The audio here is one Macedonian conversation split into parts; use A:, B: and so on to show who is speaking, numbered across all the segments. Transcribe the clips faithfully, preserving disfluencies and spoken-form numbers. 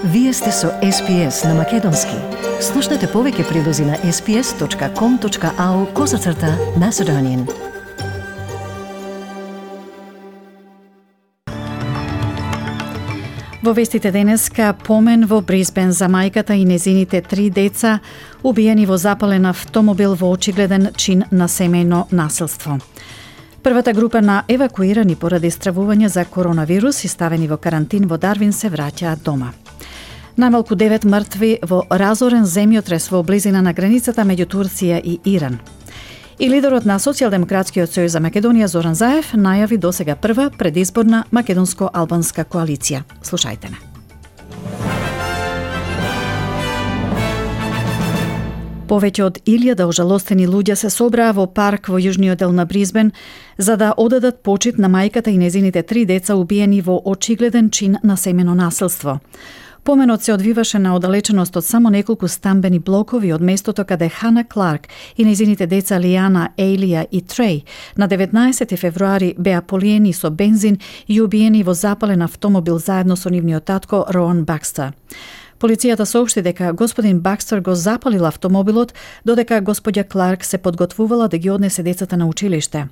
A: Вие сте со Ес Пи Ес на Македонски. Слушнете повеќе прилози на ес пи ес точка ком точка ау козацрта Macedonian. Во вестите денеска помен во Брисбен за мајката и незините три деца убиени во запален автомобил во очигледен чин на семејно насилство. Првата група на евакуирани поради стравување за коронавирус и ставени во карантин во Дарвин се враќаат дома. Најмалку девет мртви во разорен земјотрес во близина на границата меѓу Турција и Иран. И лидерот на Социјалдемократскиот сојуз за Македонија Зоран Заев најави досега прва предизборна македонско-албанска коалиција. Слушајте ме. Повеќе од илјада ожалостени луѓе се собраа во парк во јужниот дел на Брисбен за да одадат почит на мајката и незините три деца убиени во очигледен чин на семено насилство. Поменот се одвиваше на оддалеченост од само неколку стамбени блокови од местото каде Хана Кларк и незините деца Лијана, Ейлија и Треј на деветнаесети февруари беа полиени со бензин и убиени во запален автомобил заедно со нивниот татко Роан Бакстер. Полицијата соопшти дека господин Бакстер го запалил автомобилот, додека господја Кларк се подготвувала да ги однесе децата на училиште.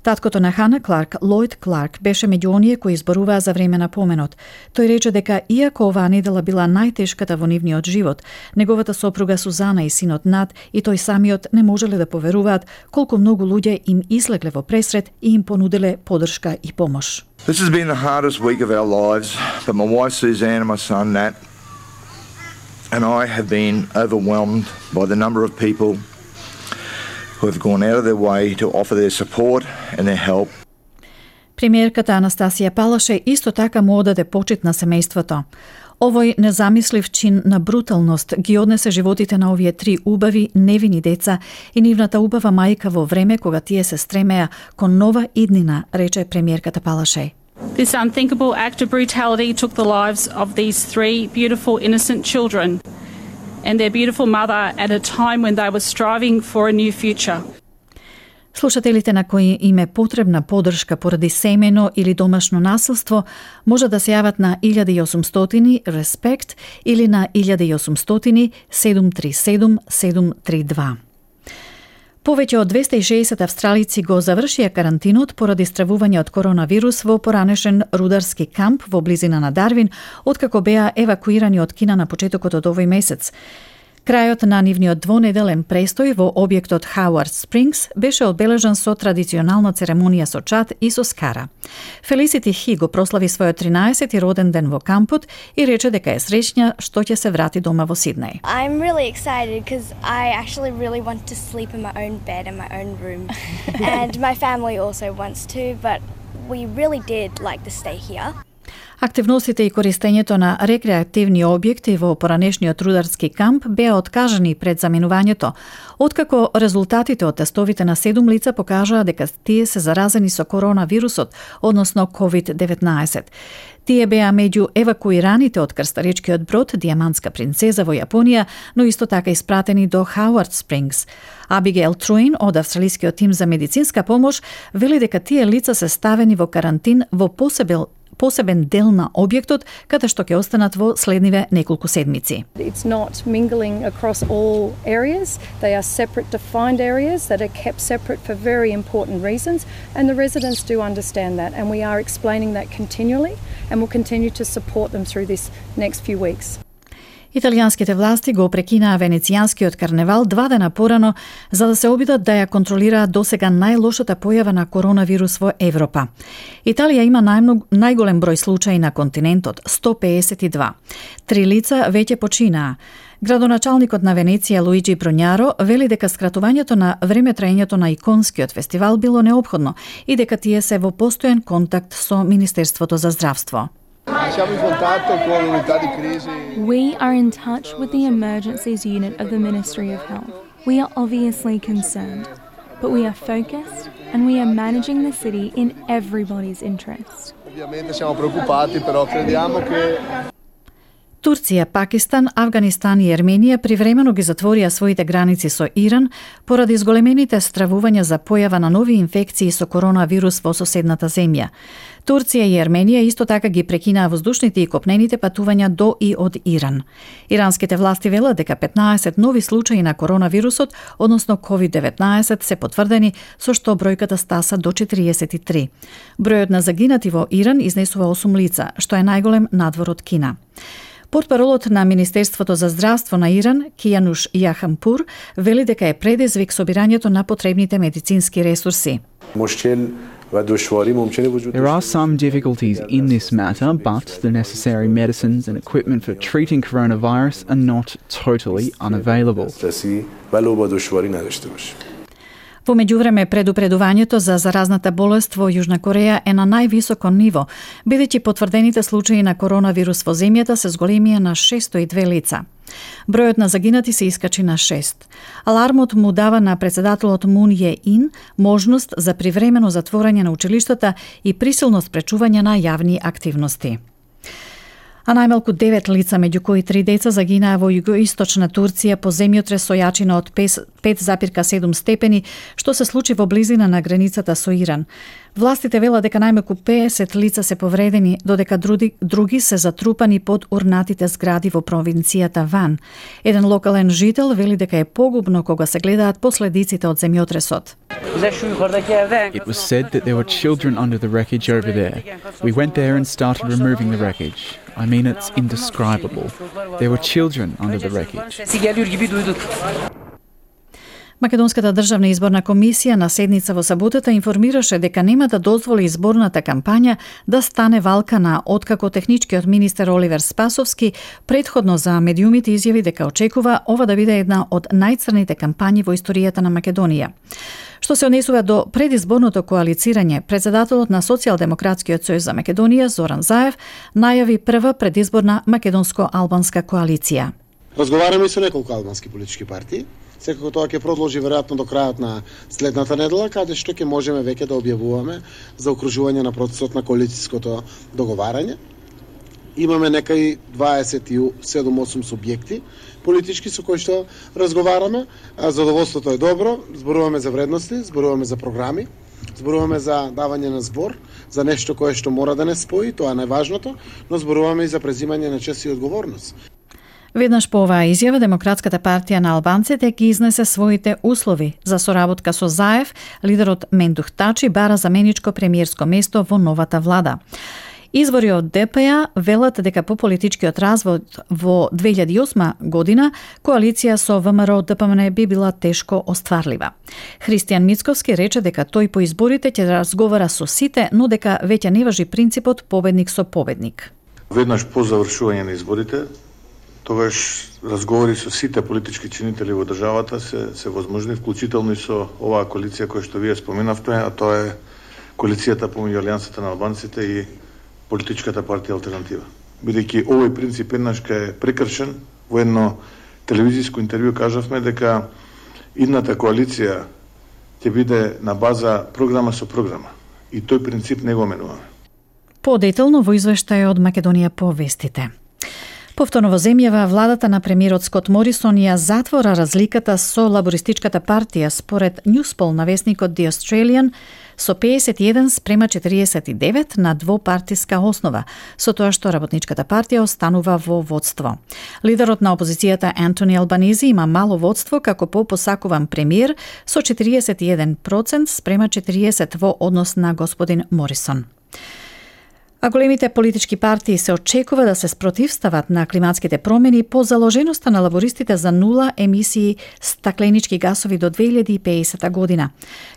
A: Таткото на Хана Кларк, Лојд Кларк, беше меѓу оние кои изборуваа за време на поменот. Тој рече дека иако оваа недела била најтешката во нивниот живот, неговата сопруга Сузана и синот Над и тој самиот не можеле да поверуваат колку многу луѓе им излегле во пресрет и им понуделе поддршка и помош.
B: This has been the hardest week of our lives, but my wife Suzanne and my son Nat and I have been overwhelmed by the number of people who have gone out of their way to offer their support and their help.
A: Премиерката Анастасија Палаше исто така му одаде почит на семејството. Овој незамислив чин на бруталност ги однесе животите на овие три убави, невини деца и нивната убава мајка во време кога тие се стремеа кон нова иднина, рече премиерката Палаше.
C: This unthinkable act of brutality took the lives of these three beautiful innocent children and their beautiful mother at a time when they were striving for a new future.
A: Слушателите на кои им е потребна поддршка поради семено или домашно насилство може да се јават на илјада и осумстотини респект или на илјада и осумстотини седум три седум седум три два. Повеќе од двесте и шеесет австралици го завршија карантинот поради стравување од коронавирус во поранешен рударски камп во близина на Дарвин, откако беа евакуирани од Кина на почетокот од овој месец. Крајот на нивниот двонеделен престој во објектот Хауард Спрингс беше одбележан со традиционална церемонија со чад и со скара. Фелисити Хи го прослави својот тринаесети роден ден во кампот и рече дека е среќна што ќе се врати дома во Сиднеј.
D: I'm really excited because I actually really want to sleep in my own bed in my own room and my family also wants to, but we really did like to stay here.
A: Активностите и користењето на рекреативни објекти во поранешниот рударски камп беа откажани пред заминувањето, откако резултатите од тестовите на седум лица покажаа дека тие се заразени со коронавирусот, односно ковид деветнаесет. Тие беа меѓу евакуираните од крстаречкиот брод Диамантска принцеза во Јапонија, но исто така испратени до Хауард Спрингс. Абигейл Труин од австралискиот тим за медицинска помош вели дека тие лица се ставени во карантин во посебен посебен дел на објектот, каде што ќе останат во следниве неколку седмици.
E: It's not mingling across all areas. They are separate defined areas that are kept separate for very important reasons, and the residents do understand that, and we are explaining that continually and will continue to support them through this next few weeks.
A: Италијанските власти го прекинаа венецијанскиот карневал два дена порано за да се обидат да ја контролираат досега најлошата појава на коронавирус во Европа. Италија има најмног, најголем број случаи на континентот, сто пеесет и два. Три лица веќе починаа. Градоначалникот на Венеција Луиджи Бронјаро вели дека скратувањето на времетраењето на иконскиот фестивал било неопходно и дека тие се во постојан контакт со Министерството за здравство.
F: We are in touch with the emergencies unit of the Ministry of Health. We are obviously concerned, but we are focused and we are managing the city in everybody's interest.
A: Турција, Пакистан, Авганистан и Ерменија привремено ги затворија своите граници со Иран поради изголемените стравувања за појава на нови инфекции со коронавирус во соседната земја. Турција и Ерменија исто така ги прекинаа воздушните и копнените патувања до и од Иран. Иранските власти велат дека петнаесет нови случаи на коронавирусот, односно ковид деветнаесет, се потврдени, со што бројката стаса до четириесет и три. Бројот на загинати во Иран изнесува осум лица, што е најголем надвор од Кина. Портпаролот на Министерството за здравство на Иран, Кијануш Јахампур, вели дека е предизвик собирањето на потребните медицински ресурси.
G: There are some difficulties in this matter, but the necessary medicines and equipment for treating coronavirus are not totally unavailable.
A: Во меѓувреме, предупредувањето за заразната болест во Јужна Кореја е на највисоко ниво, бидејќи потврдените случаи на коронавирус во земјата се зголемија на шестстотини и две лица. Бројот на загинати се искачи на шест. Алармот му дава на председателот Мун Је Ин можност за привремено затворање на училиштата и присилно спречување на јавни активности. А најмалку девет лица, меѓу кои три деца, загинаа во југоисточна Турција по земјотрес со јачина од пет запирка седум степени, што се случи во близина на границата со Иран. Властите велат дека најмалку пеесет лица се повредени, додека други, други се затрупани под урнатите згради во провинцијата Ван. Еден локален жител вели дека е погубно кога се гледаат последиците од земјотресот.
G: It was said that there were children under the wreckage over there. We went there and started removing the wreckage. I mean, it's indescribable. There were children under the wreckage.
A: Македонската државна изборна комисија на седница во саботата информираше дека нема да дозволи изборната кампања да стане валкана, откако техничкиот министер Оливер Спасовски предходно за медиумите изјави дека очекува ова да биде една од најцрните кампањи во историјата на Македонија. Што се однесува до предизборното коалицирање, председателот на Социјалдемократскиот сојуз за Македонија Зоран Заев најави прва предизборна македонско-албанска коалиција.
H: Разговараме со неколку албански политички партии. Секако тоа ќе продолжи веројатно до крајот на следната недела, каде што ќе можеме веќе да објавуваме за окружување на процесот на коалицијското договарање. Имаме некај дваесет и седум осум субјекти политички со кои што разговараме. Задоволството е добро, зборуваме за вредности, зборуваме за програми, зборуваме за давање на збор, за нешто кое што мора да не спои, тоа е најважното, но зборуваме и за презимање на чест и одговорност.
A: Веднаш по оваа изјава, Демократската партија на албанците ги изнесе своите услови за соработка со Заев. Лидерот Мендух Тачи бара заменичко премиерско место во новата влада. Извори од Д П Ј велат дека по политичкиот развод во две илјади и осма година коалиција со В М Р Д П М Н би била тешко остварлива. Христијан Мицковски рече дека тој по изборите ќе разговара со сите, но дека веќе не важи принципот победник со победник.
I: Веднаш по завршување на изборите, тогаш разговори со сите политички чинители во државата се се возможни, вклучително и со оваа коалиција која што вие споменавте, а тоа е коалицијата помеѓу Алијансата на албанците и Политичката партија Алтернатива. Бидејќи овој принцип еднаш е прекршен, во едно телевизиско интервју кажавме дека идната коалиција ќе биде на база програма со програма. И тој принцип не го менуваме.
A: Подетално во извештај од Македонија по вестите. Повторно во земјава, владата на премиерот Скот Морисон ја затвора разликата со лабористичката партија според Newspol на весникот The Australian со пеесет и еден спрема четириесет и девет на двопартиска основа, со тоа што работничката партија останува во водство. Лидерот на опозицијата Антони Албанизи има мало водство како попосакуван премиер со четириесет и еден проценти спрема четириесет во однос на господин Морисон. А големите политички партии се очекува да се спротивстават на климатските промени по заложеноста на лабористите за нула емисии стакленички гасови до две илјади и пеесета година.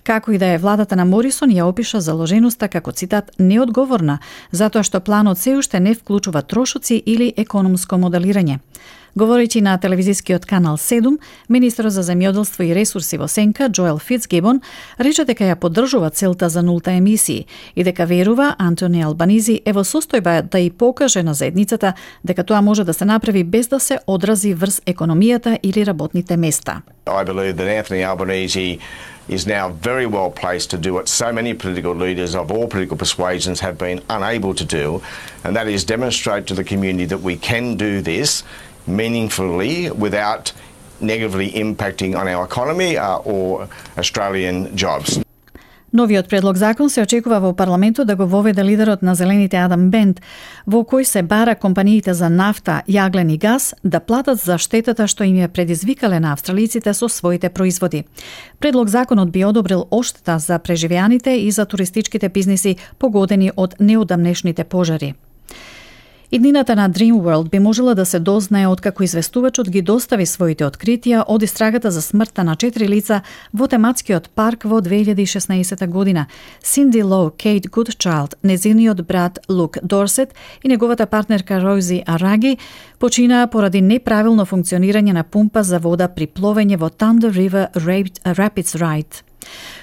A: Како и да е, владата на Морисон ја опиша заложеноста како, цитат, неодговорна, затоа што планот се уште не вклучува трошоци или економско моделирање. Говорејќи на телевизискиот канал седум, министерот за земјоделство и ресурси во сенка Джоел Фицгибон рече дека ја поддржува целта за нулта емисии и дека верува Антони Албанизи е во состојба да и покаже на заедницата дека тоа може да се направи без да се одрази врз економијата или работните места.
J: I believe that Anthony Albanese is now very well placed to do what so many political leaders of all political persuasions have been unable to do, and that is demonstrate to the community that we can do this meaningfully without negatively impacting on our economy uh, or Australian jobs.
A: Новиот предлог закон се очекува во парламентот да го воведе лидерот на Зелените Адам Бент, во кој се бара компаниите за нафта, јаглен и газ да платат за штетата што им ја предизвикале на австралиците со своите производи. Предлог законот би одобрил одштета за преживеаните и за туристичките бизниси погодени од неодамнешните пожари. Иднината на Dreamworld би можела да се дознае откако известувачот ги достави своите откритија од истрагата за смртта на четири лица во тематскиот парк во две илјади и шеснаесета година. Синди Лоу, Кейт Гудчайлд, незиниот брат Лук Дорсет и неговата партнерка Рози Араги починаа поради неправилно функционирање на пумпа за вода при пловење во Thunder River Rapids Ride.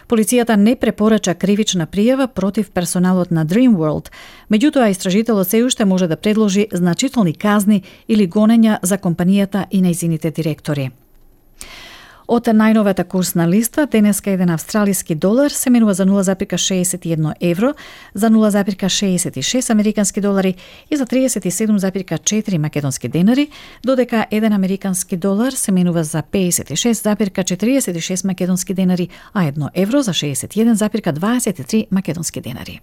A: Полицијата не препорача кривична пријава против персоналот на Dreamworld, меѓутоа истражителот се уште може да предложи значителни казни или гонења за компанијата и нејзините директори. Од најновата курсна листа, денеска еден австралиски долар се менува за нула зарез шеесет и едно евро, за нула зарез шеесет и шест американски долари и за триесет и седум зарез четири македонски денари, додека еден американски долар се менува за пеесет и шест зарез четириесет и шест македонски денари, а едно евро за шеесет и еден зарез дваесет и три македонски денари.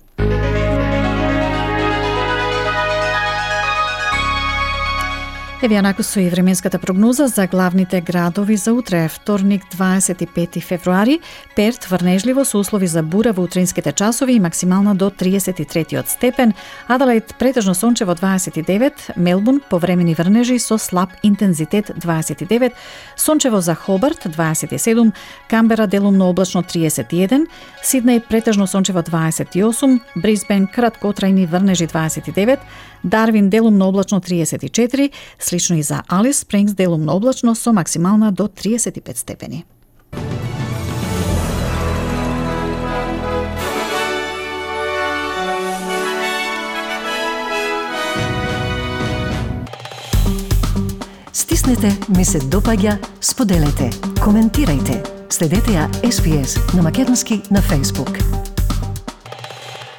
A: Еве јанаку со и временската прогноза за главните градови за утре, вторник дваесет и пети февруари, Перт врнежливо со услови за бура во утринските часови и максимална до триесет и трети степен, Аделаид претежно сончево дваесет и девет, Мелбурн повремени врнежи со слаб интензитет дваесет и девет, сончево за Хобарт дваесет и седум, Камбера делумно облачно триесет и еден, Сиднеј претежно сончево дваесет и осум, Брисбен краткотрајни врнежи дваесет и девет, Дарвин делумно облачно триесет и четири, слично и за Алис Спрингс делумно облачно со максимална до триесет и пет степени.
K: Стиснете, ми се допаѓа, споделете, коментирајте. Следете ја Ес Би Ес на македонски на Facebook.